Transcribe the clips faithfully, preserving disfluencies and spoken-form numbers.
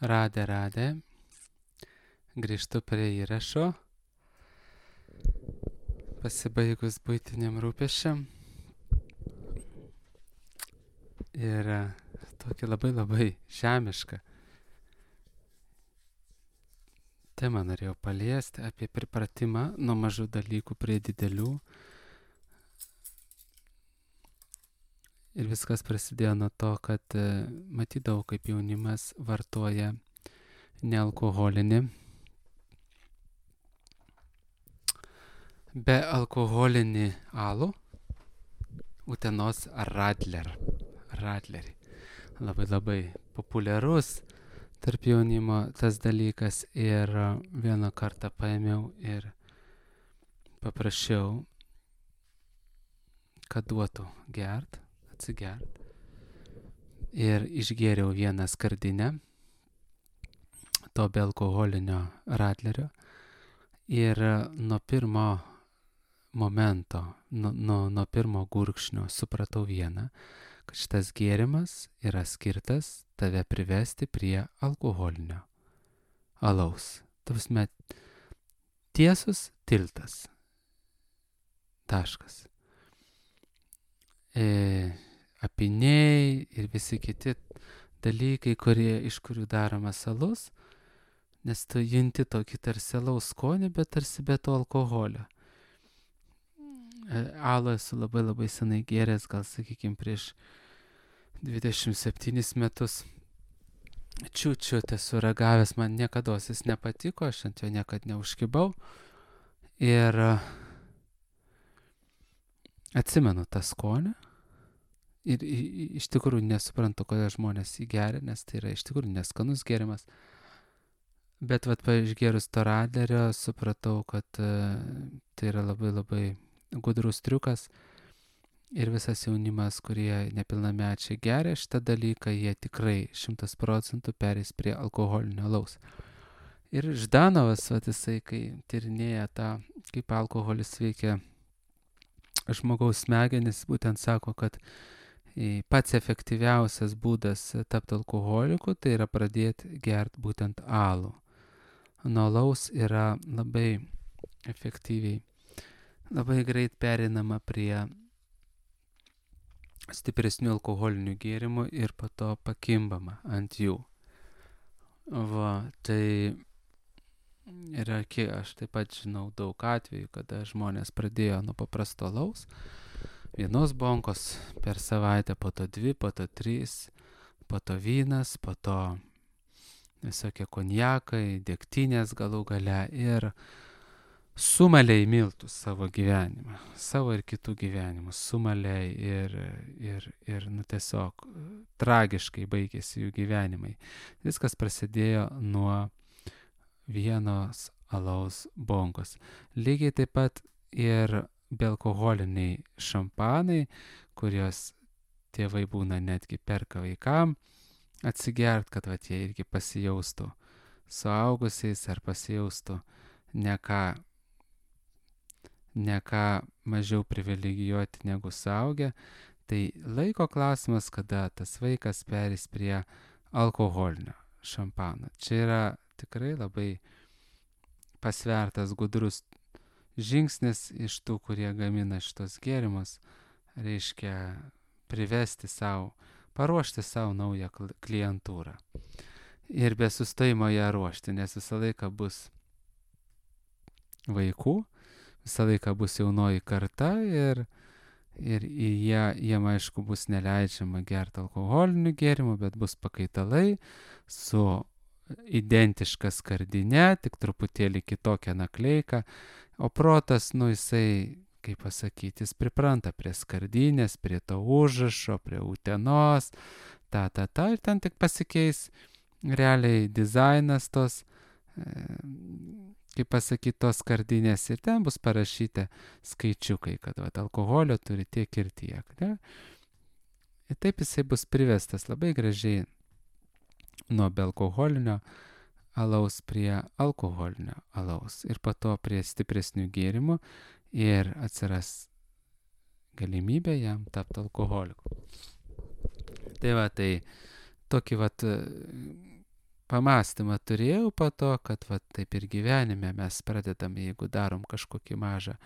Radė, radė. Grįžtu prie įrašo. Pasibaigus buitiniam rūpesčiam. Ir e, tokį labai labai žemišką temą norėjau paliesti apie pripratimą nuo mažų dalykų prie didelių. Ir viskas prasidėjo nuo to, kad e, matydavau, kaip jaunimas vartoja nealkoholinį, be alkoholinį alų, Utenos Radler. Radlerį. Labai labai populiarus tarp jaunimo tas dalykas ir e, vieną kartą paėmiau ir paprašiau, kad duotų gert, atsigert. Ir išgėriau vieną skardinę to be alkoholinio Radlerio. Ir e, nuo pirmo momento, nuo, nuo, nuo pirmo gurkšnio supratau vieną, kad šitas gėrimas yra skirtas tave privesti prie alkoholinio alaus. Tavasme, tiesus tiltas. Taškas. E, apiniai ir visi kiti dalykai, kurie, iš kurių daromas alus, nes tu junti tokį tarsi alaus skonį, bet tarsi be to alkoholio. E, alų esu labai labai senai gėręs, gal sakykime prieš dvidešimt septynis metus. Čiūčiut esu ragavęs, man niekados jis nepatiko, aš ant jo niekad neužkibau. Ir e, atsimenu tą skonį. Ir i- i- iš tikrųjų nesuprantu, kodėl žmonės jį geria, nes tai yra iš tikrųjų neskanus gėrimas. Bet vat išgėrus to Radlerio supratau, kad e, tai yra labai labai gudrus triukas. Ir visas jaunimas, kurie nepilnamečiai geria šitą dalyką, jie tikrai šimtas procentų perės prie alkoholinio alaus. Ir Ždanovas, vat jisai, kai tyrinėja tą, kaip alkoholis veikia žmogaus smegenis, būtent sako, kad e, pats efektyviausias būdas tapti alkoholiku, tai yra pradėti gerti būtent alų. Nuo alaus yra labai efektyviai, labai greit perinama prie stipresnių alkoholinių gėrimų ir po to pakimbama ant jų. Va, tai yra, kiek aš taip pat žinau daug atvejų, kada žmonės pradėjo nuo paprasto alaus, vienos bonkos per savaitę, po to dvi, po to trys, po to vynas, po to visokie konjakai, degtinės galų gale ir sumaliai miltų savo gyvenimą, savo ir kitų gyvenimus, sumaliai ir, ir, ir nu, tiesiog tragiškai baigėsi jų gyvenimai. Viskas prasidėjo nuo vienos alaus bonkos. Lygiai taip pat ir bealkoholiniai šampanai, kurios tėvai būna netgi perka vaikam atsigert, kad vat, jie irgi pasijaustų suaugusiais ar pasijaustų ne ką ne ką mažiau privilegijuoti negu suaugę, tai laiko klausimas, kada tas vaikas perės prie alkoholinio šampano. Čia yra tikrai labai pasvertas gudrus žingsnis iš tų, kurie gamina šitos gėrimus, reiškia privesti savo, paruošti savo naują klientūrą. Ir be sustojimo ją ruošti, nes visą laiką bus vaikų, visą laiką bus jaunoji karta ir, ir jie, jiem aišku bus neleidžiama gerti alkoholinių gėrimų, bet bus pakaitalai su identiška skardinė, tik truputėlį kitokia nakleika, o protas, nu jisai, kaip pasakyti, jis pripranta prie skardinės, prie to užrašo, prie Utenos, ta, ta, ta, ir ten tik pasikeis realiai dizainas tos, e, kaip pasakyti, tos skardinės ir ten bus parašyta skaičiukai, kad vat, alkoholio turi tiek ir tiek. Ne? Ir taip jisai bus privestas labai gražiai nuo bealkoholinio alaus prie alkoholinio alaus ir po to prie stipresnių gėrimų ir atsiras galimybė jam tapti alkoholiku. Tai va, tai tokį vat pamastymą turėjau po to, kad va, taip ir gyvenime mes pradedam, jeigu darom kažkokį mažą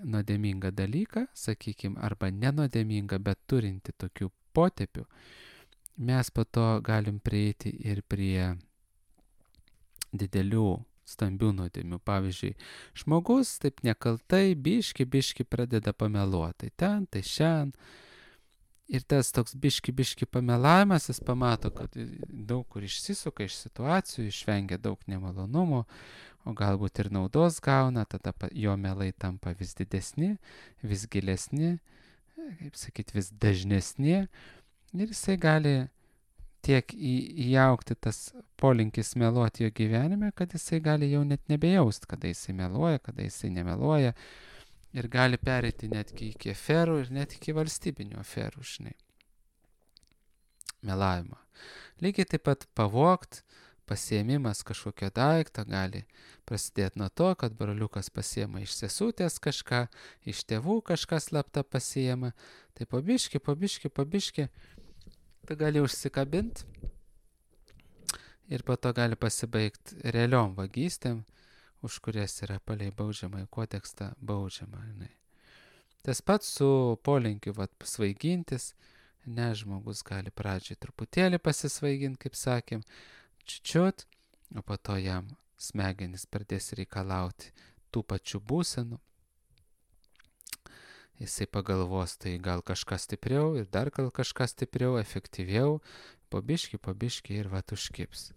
nuodėmingą dalyką, sakykime, arba nenuodėmingą, bet turinti tokių potėpių, mes po to galim prieiti ir prie didelių, stambių nuodėmių. Pavyzdžiui, žmogus taip nekaltai, biški, biški pradeda pameluoti. Tai ten, tai šiandien. Ir tas toks biški, biški pamelavimas, jis pamato, kad daug kur išsisuka iš situacijų, išvengia daug nemalonumų, o galbūt ir naudos gauna, tada jo melai tampa vis didesni, vis gilesni, kaip sakyt, vis dažnesni. Ir jisai gali tiek į, įaugti tas polinkis meluoti jo gyvenime, kad jisai gali jau net nebejaust, kada jisai meluoja, kada jisai nemeluoja. Ir gali pereiti netgi iki aferų ir net iki valstybinių aferų, žinai. Melavimą. Lygiai taip pat pavogt, pasiėmimas kažkokio daikto gali prasidėti nuo to, kad broliukas pasiėma iš sesutės kažką, iš tėvų kažką slapta pasiėma. Tai pabiški, pabiški, pabiški, tu gali užsikabinti ir po to gali pasibaigti realiom vagystėm, už kurias yra palei baudžiamąjį kodekstą baudžiama. Ne. Tas pats su polinkiu vat, svaigintis, ne, žmogus gali pradžiai truputėlį pasisvaiginti, kaip sakėm, čiučiut, o po to jam smegenys pradės reikalauti tų pačių būsenų. Jisai pagalvos, tai gal kažkas stipriau ir dar gal kažkas stipriau, efektyviau, pabiški, pabiški ir vat užkips.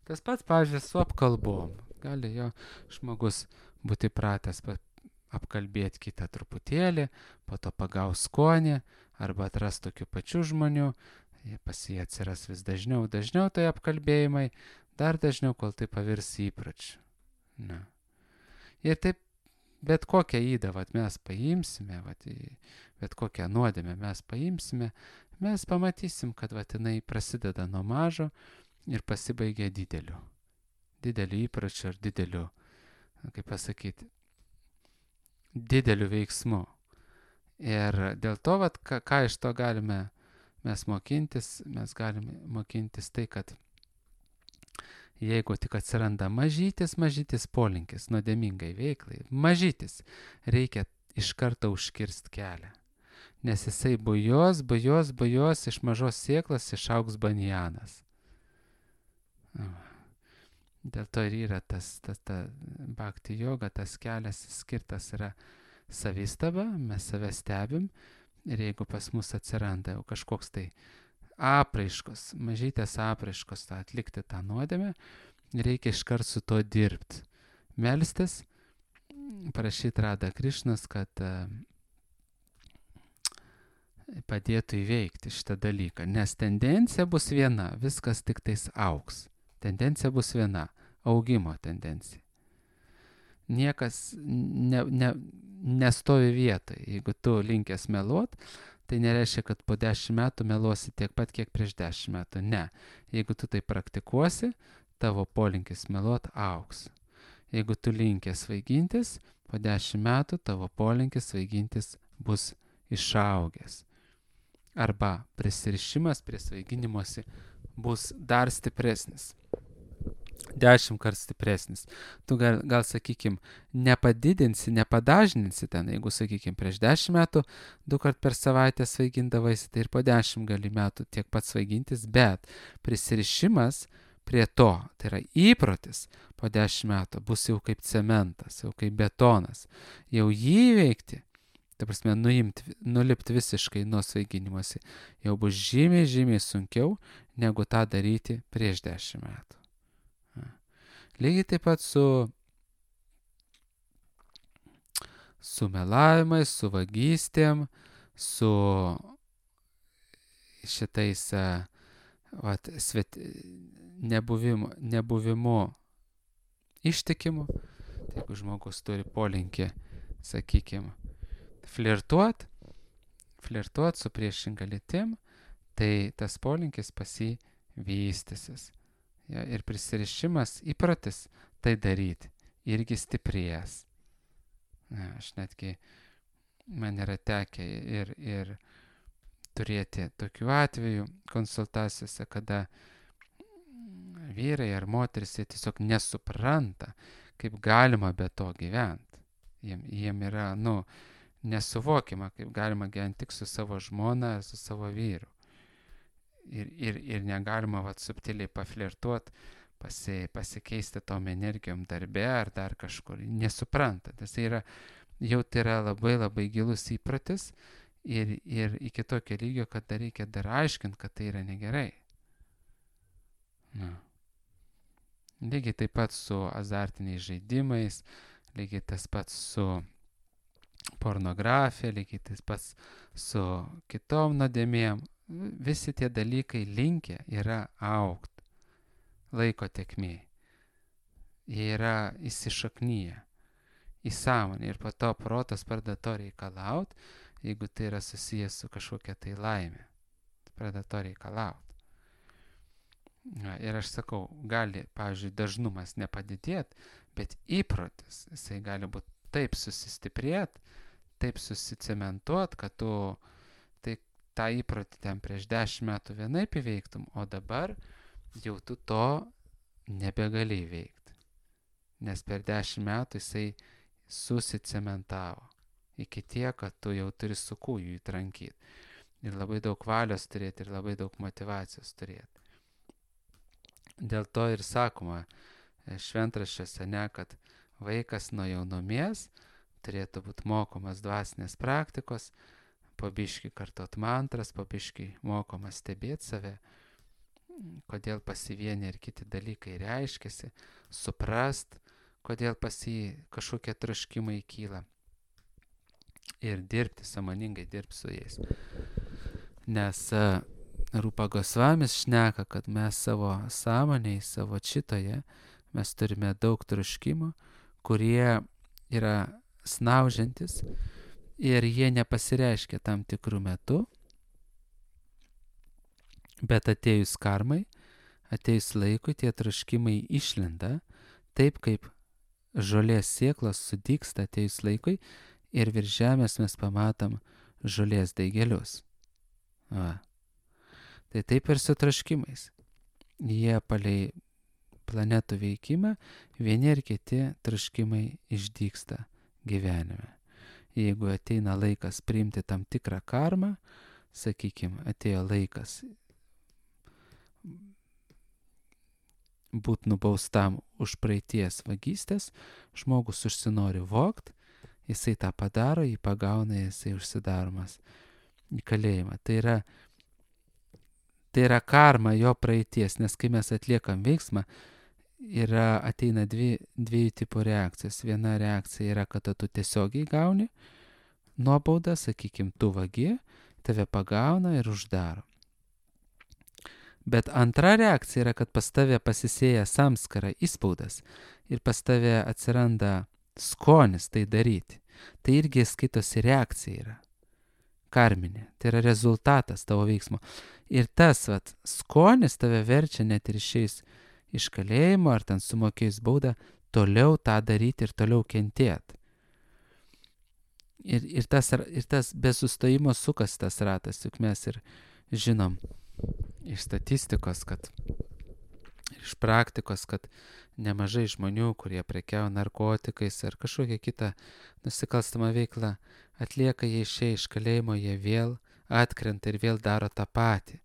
Tas pats, pavyzdžiui, su apkalbom. Gali jo žmogus būti pratęs apkalbėti kitą truputėlį, po to pagaus skonį, arba atras tokių pačių žmonių, pas jį atsiras vis dažniau, dažniau tai apkalbėjimai, dar dažniau, kol tai pavirs įpročiu. Na. Ir taip bet kokią įdą vat, mes paimsime, vat, bet kokią nuodėmę mes paimsime, mes pamatysim, kad vat, jinai prasideda nuo mažo ir pasibaigia dideliu. Dideliu įpročiu ar dideliu, kaip pasakyti, dideliu veiksmu. Ir dėl to, vat, ką, ką iš to galime mes mokintis, mes galime mokintis tai, kad jeigu tik atsiranda mažytis, mažytis polinkis nuodėmingai veiklai, mažytis, reikia iš karto užkirsti kelią. Nes jisai bujos, bujos, bujos, iš mažos sėklas išaugs banjanas. Dėl to ir yra tas, tas ta bhakti joga, tas kelias skirtas yra savistaba, mes save stebim ir jeigu pas mus atsiranda jau kažkoks tai apraiškos, mažytės apraiškos, tą atlikti tą nuodėmę, reikia iškart su to dirbti. Melstis, prašyti Radha Krišnos, kad uh, padėtų įveikti šitą dalyką, nes tendencija bus viena, viskas tik tais augs. Tendencija bus viena – augimo tendencija. Niekas ne, ne, nestovi vietoj. Jeigu tu linkęs meluot, tai nereiškia, kad po dešimt metų meluosi tiek pat, kiek prieš dešimt metų. Ne. Jeigu tu tai praktikuosi, tavo polinkis meluot augs. Jeigu tu linkęs svaigintis, po dešimt metų tavo polinkis svaigintis bus išaugęs. Arba prisirišimas prie svaiginimosi bus dar stipresnis. Dešimt kart stipresnis. Tu gal, gal sakykim, nepadidinsi, nepadažninsi ten, jeigu, sakykim, prieš dešimt metų du kart per savaitę svaigindavaisi, tai ir po dešimt gali metų tiek pat svaigintis, bet prisirišimas prie to, tai yra įprotis, po dešimt metų bus jau kaip cementas, jau kaip betonas. Jau jį įveikti, ta prasme, nuimti, nulipti visiškai nuo svaiginimuose, jau bus žymiai, žymiai sunkiau, negu tą daryti prieš dešimt metų. Lygiai taip pat su, su melavimais, su vagystėm, su šitais vat, svet, nebuvimu, nebuvimu ištikimu. Tai jeigu žmogus turi polinkį, sakykime, flirtuot, flirtuot su priešinga lytim, tai tas polinkis pas jį vystysis. Ja, ir prisirišimas, įprotis tai daryti irgi stiprės. Ja, aš netgi, man yra tekę ir, ir turėti tokių atvejų konsultacijose, kada vyrai ar moteris, jie tiesiog nesupranta, kaip galima be to gyventi. Jiem, jiem yra, nu, nesuvokiama, kaip galima gyventi tik su savo žmona, su savo vyru. Ir, ir, ir negalima vat, subtiliai paflirtuoti, pasi, pasikeisti tom energijom darbe ar dar kažkur. Nesupranta. Tas yra, jau tai yra labai labai gilus įpratis ir, ir iki tokio lygio, kad dar reikia dar aiškinti, kad tai yra negerai. Na. Lygiai taip pat su azartiniais žaidimais, lygiai tas pats su pornografija, lygiai tas pats su kitom nuodėmėm. Visi tie dalykai linkę yra augti laiko tekmėj. Jie yra įsišaknyję į sąmonę ir po to protas pradeda to reikalauti, jeigu tai yra susijęs su kažkokia tai laimė. Pradeda to reikalauti. Ir aš sakau, gali, pavyzdžiui, dažnumas nepadidėti, bet įprotis, jisai gali būti taip susistiprėti, taip susicementuoti, kad tu tai, tą įprotį ten prieš dešimt metų vienaip įveiktum, o dabar jau tu to nebegali įveikti. Nes per dešimt metų jisai susicementavo iki tiek, kad tu jau turi su kūju įtrankyti. Ir labai daug valios turėti, ir labai daug motyvacijos turėti. Dėl to ir sakoma šventraščiuose, ne, kad vaikas nuo jaunumies turėtų būti mokomas dvasinės praktikos, po biškį kartot mantras, po biškį mokomas stebėti save, kodėl pas jį vieni ir kiti dalykai reiškiasi, suprast, kodėl pas jį kažkokie troškimai kyla ir dirbti, sąmoningai dirbti su jais. Nes Rūpa Gosvamis šneka, kad mes savo sąmonėj, savo čitoje, mes turime daug troškimų, kurie yra snaužiantis ir jie nepasireiškia tam tikrų metų, bet atėjus karmai, atėjus laikui, tie troškimai išlenda, taip kaip žolės sėklos sudygsta atėjus laikui ir virš žemės mes pamatom žolės daigelius. Va. Tai taip ir su troškimais. Jie palei planetų veikimą, vieni ir kiti troškimai išdygsta gyvenime. Jeigu ateina laikas priimti tam tikrą karmą, sakykime, atėjo laikas būti nubaustam už praeities vagystės, žmogus užsinori vogt, jisai tą padaro, jį pagauna, jisai užsidaromas į kalėjimą. Tai yra Tai yra karma jo praeities, nes kai mes atliekam veiksmą, yra, ateina dvi, dviejų tipų reakcijos. Viena reakcija yra, kad tu tiesiogiai gauni nuobaudą, sakykime, tu vagi, tave pagauna ir uždaro. Bet antra reakcija yra, kad pas tave pasisėja samskara įspaudas ir pas tave atsiranda skonis tai daryti. Tai irgi skaitosi reakcija yra. Karminė. Tai yra rezultatas tavo veiksmo. Ir tas vat, skonis tave verčia net ir išeis iš kalėjimo ar ten sumokėjus baudą, toliau tą daryti ir toliau kentėti. Ir, ir, tas, ir tas be sustojimo sukas tas ratas, juk mes ir žinom iš statistikos, kad iš praktikos, kad nemažai žmonių, kurie prekiauja narkotikais ar kažkokią kitą nusikalstamą veiklą, atlieka, jie išėję iš kalėjimo, jie vėl atkrenta ir vėl daro tą patį.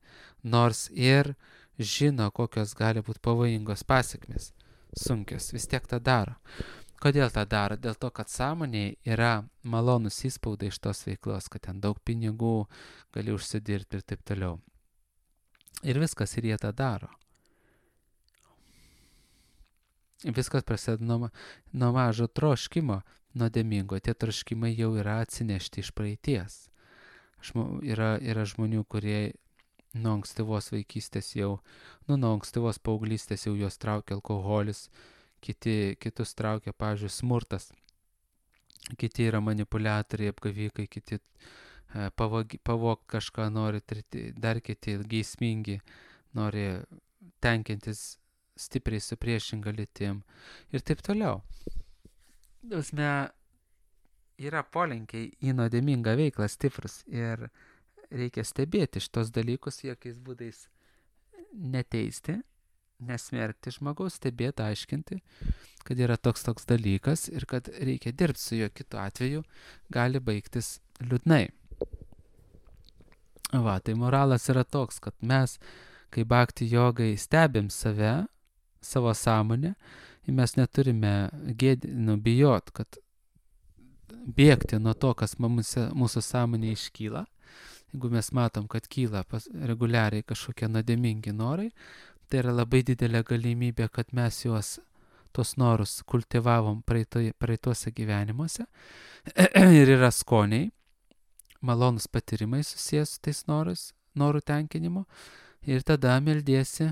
Nors ir žino, kokios gali būti pavojingos pasekmės, sunkios, vis tiek tą daro. Kodėl tą daro? Dėl to, kad sąmonėje yra malonus įspaudai iš tos veiklos, kad ten daug pinigų gali užsidirbti ir taip toliau. Ir viskas, ir jie tą daro. Viskas prasideda nuo, nuo mažo troškimo nuodėmingo. Tie troškimai jau yra atsinešti iš praeities. Žmo, yra, yra žmonių, kurie nuo ankstyvos vaikystės jau, nu, nuo ankstyvos paauglystės jau juos traukia alkoholis, kiti, kitus traukia, pavyzdžiui, smurtas, kiti yra manipuliatoriai, apgavikai, kiti e, pavog, pavog kažką nori, treti, dar kiti geismingi, nori tenkintis stipriai su priešinga lytim ir taip toliau. Dausme, yra polinkiai į nuodėmingą veiklą stiprus ir reikia stebėti šitos dalykus, jokiais būdais neteisti, nesmerkti žmogaus, stebėti, aiškinti, kad yra toks toks dalykas ir kad reikia dirbti su juo, kitu atveju gali baigtis liūdnai. Va, tai moralas yra toks, kad mes, kai bhakti jogai stebim save, savo sąmonę, ir mes neturime gėdi, nu, bijot, kad bėgti nuo to, kas mūsų, mūsų sąmonė iškyla. Jeigu mes matom, kad kyla pas, reguliariai kažkokie nuodėmingi norai, tai yra labai didelė galimybė, kad mes juos, tos norus, kultivavom praeitoje, praeituose gyvenimuose ir yra skoniai, malonus patyrimai susijęs su tais norais, norų tenkinimu, ir tada meldiesi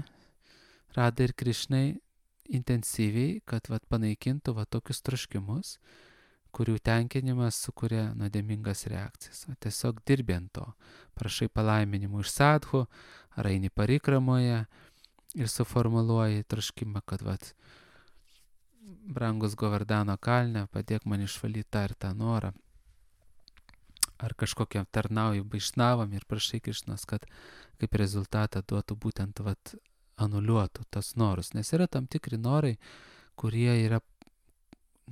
Radai ir Krišnai intensyviai, kad vat, panaikintų vat, tokius troškimus, kurių tenkinimas sukuria nuodėmingas reakcijas. O tiesiog dirbi ant to. Prašai palaiminimų iš sadhų, ar eini parikramoje ir suformuluoji troškimą, kad vat, brangus Govardhano kalne, padėk man išvalyti tą ir tą norą. Ar kažkokiam tarnauju Vaišnavam ir prašai Krišnos, kad kaip rezultatą duotų būtent vat, anuliuotų tas norus. Nes yra tam tikri norai, kurie yra,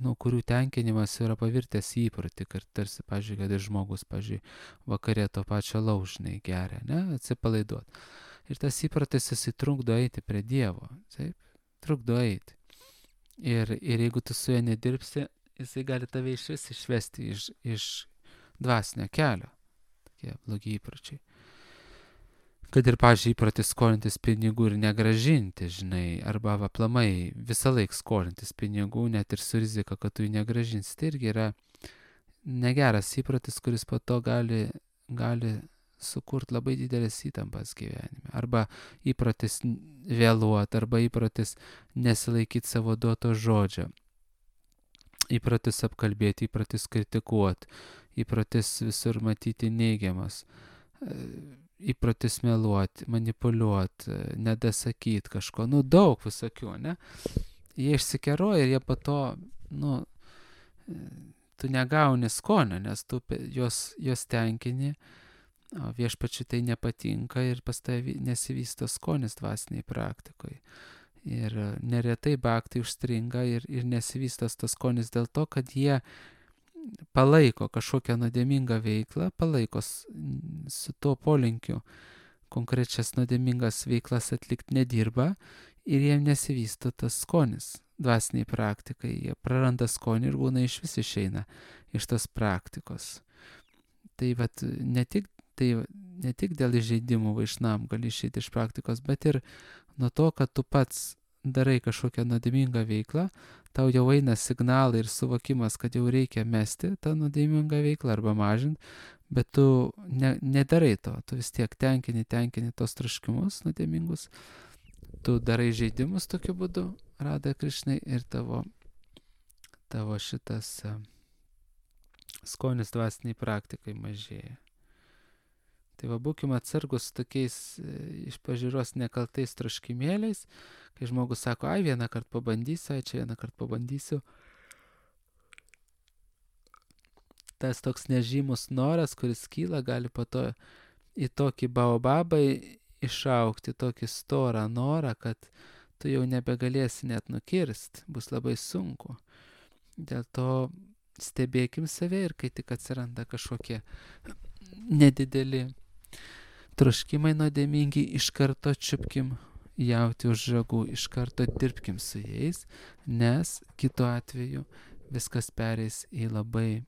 nu, kurių tenkinimas yra pavirtęs įprotį, kad tarsi, pažiūrėjau, kad ir žmogus, pažiūrėjau, vakarė to pačio laužnai geria, ne, atsipalaiduot. Ir tas įprotis jisai trukdo eiti prie Dievo, taip, trukdo eiti. Ir, ir jeigu tu su juo nedirbsi, jisai gali tave iš vis išvesti iš, iš dvasinio kelio. Tokie blogi įpročiai. Kad ir, pažiūrėjau, įprotis skolintis pinigų ir negražinti, žinai, arba aplamai visą laiką skolintis pinigų, net ir su rizika, kad tu jų negražinsi. Tai irgi yra negeras įprotis, kuris po to gali, gali sukurti labai didelės įtampas gyvenime. Arba įprotis vėluoti, arba įprotis nesilaikyti savo duoto žodžio. Įprotis apkalbėti, įprotis kritikuoti, įprotis visur matyti neigiamas. Įprotis meluoti, manipuliuoti, nedasakyti kažko, nu daug visokių, ne? Jie išsikeroja ir jie po to, nu, tu negauni skonio, nes tu jos, jos tenkini, o viešpačiui tai nepatinka ir pas tavai nesivysto skonis dvasiniai praktikoje. Ir neretai bhakti užstringa ir, ir nesivystas tas skonis dėl to, kad jie palaiko kažkokią nuodėmingą veiklą, palaiko su tuo polinkiu konkrečias nuodėmingas veiklas atlikti, nedirba ir jiem nesivysto tas skonis dvasiniai praktikai. Jie praranda skonį ir būna iš vis išeina iš tos praktikos. Tai vat, ne tik, tai ne tik dėl įžeidimų Vaišnam gali išeiti iš praktikos, bet ir nuo to, kad tu pats darai kažkokią nuodėmingą veiklą, tau jau eina signalai ir suvokimas, kad jau reikia mesti tą nuodėmingą veiklą arba mažinti, bet tu ne, nedarai to, tu vis tiek tenkini, tenkini tos troškimus nuodėmingus, tu darai žaidimus tokiu būdu, Radai Krišnai, ir tavo, tavo šitas uh, skonis dvasiniai praktikai mažėja. Tai va, būkime atsargus tokiais iš pažiūros nekaltais troškimėliais, kai žmogus sako, ai, vieną kartą pabandysiu, ai, čia vieną kartą pabandysiu. Tas toks nežymus noras, kuris kyla, gali po to į tokį baobabą išaukti, tokį storą norą, kad tu jau nebegalėsi net nukirsti, bus labai sunku. Dėl to stebėkim save ir kai tik atsiranda kažkokie nedideli troškimai nuodėmingi, iš karto čiupkim jauti už ragų, iš karto dirbkim su jais, nes kitu atveju viskas pereis į labai,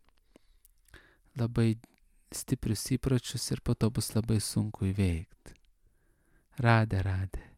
labai stiprius įpročius ir po to bus labai sunku įveikti. Radė, radė.